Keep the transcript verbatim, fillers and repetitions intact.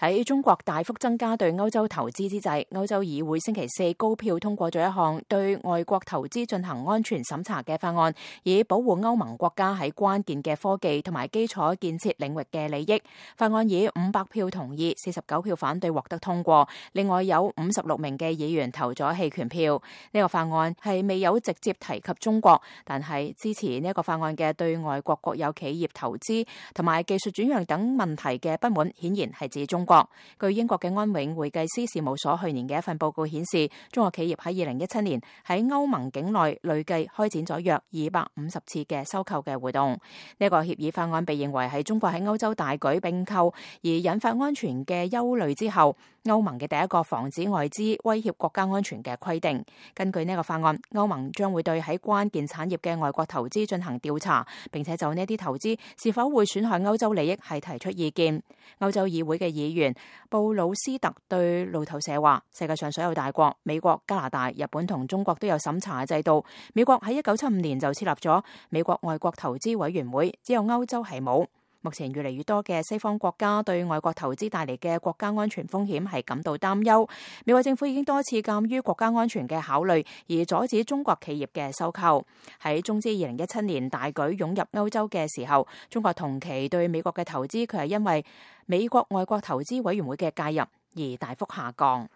喺中國大幅增加對歐洲投資之際，歐洲議會星期四高票通過咗一項對外國投資進行安全審查嘅法案，以保護歐盟國家喺關鍵嘅科技同埋基礎建設領域嘅利益。法案以五百票同意、四十九票反對獲得通過，另外有五十六名嘅議員投咗棄權票。呢個法案係未有直接提及中國，但係支持呢個法案嘅對外國國有企業投資同埋技術轉讓等問題嘅不滿，顯然係指中國。據英國嘅安永會計師事務所去年嘅一份報告顯示，中國企業喺二零一七年喺歐盟境內累計開展咗約二百五十次嘅收購嘅活動。呢、這個協議法案被認為係中國喺歐洲大舉併購而引發安全嘅憂慮之後，歐盟嘅第一個防止外資威脅國家安全嘅規定。根據呢個法案，歐盟將會對喺關鍵產業嘅外國投資進行調查，並且就呢啲投資是否會損害歐洲利益係提出意見。歐洲議會嘅議員布魯斯特對路透社話，世界上所有大國美國、加拿大、日本同中國都有審查嘅制度。美國喺一九七五年就設立咗美國外國投資委員會，只有歐洲係冇。目前越嚟越多嘅西方國家對外國投資帶嚟嘅國家安全風險係感到擔憂。美國政府已經多次鑑於國家安全嘅考慮而阻止中國企業嘅收購。喺中資二零一七年大舉湧入歐洲嘅時候，中國同期對美國嘅投資佢係因為美國外國投資委員會嘅介入而大幅下降。